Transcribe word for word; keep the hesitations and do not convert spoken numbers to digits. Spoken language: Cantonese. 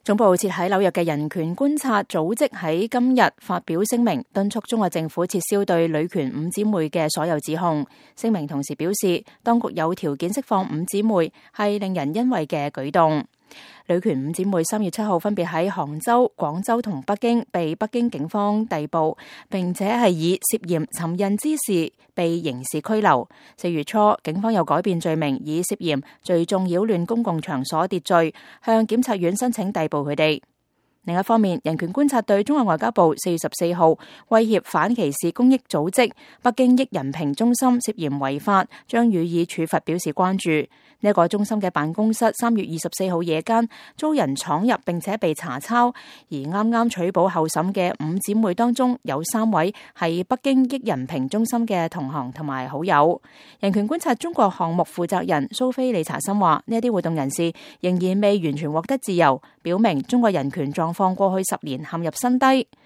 總部設喺紐約嘅人權觀察組織喺今日發表聲明，敦促中國政府撤銷對女權五姊妹嘅所有指控。聲明同時表示，當局有條件釋放五姊妹係令人欣慰嘅舉動。女權五姊妹三月七號分別喺杭州、廣州同北京被北京警方逮捕，並且係以涉嫌尋釁滋事被刑事拘留。四月初，警方又改變罪名，以涉嫌聚眾擾亂公共場所秩序，向檢察院申請逮捕佢哋。另一方面，人權觀察對中國外交部四月十四號威脅反歧視公益組織北京益人平中心涉嫌違法，將予以處罰表示關注。呢、這、一個中心嘅辦公室三月二十四號夜間遭人闖入，並且被查抄，而啱啱取保候審嘅五姊妹當中有三位係北京益人平中心嘅同行同埋好友。人權觀察中國項目負責人蘇菲利查森話：呢一啲活動人士仍然未完全獲得自由，表明中國人權狀況過去十年陷入新低。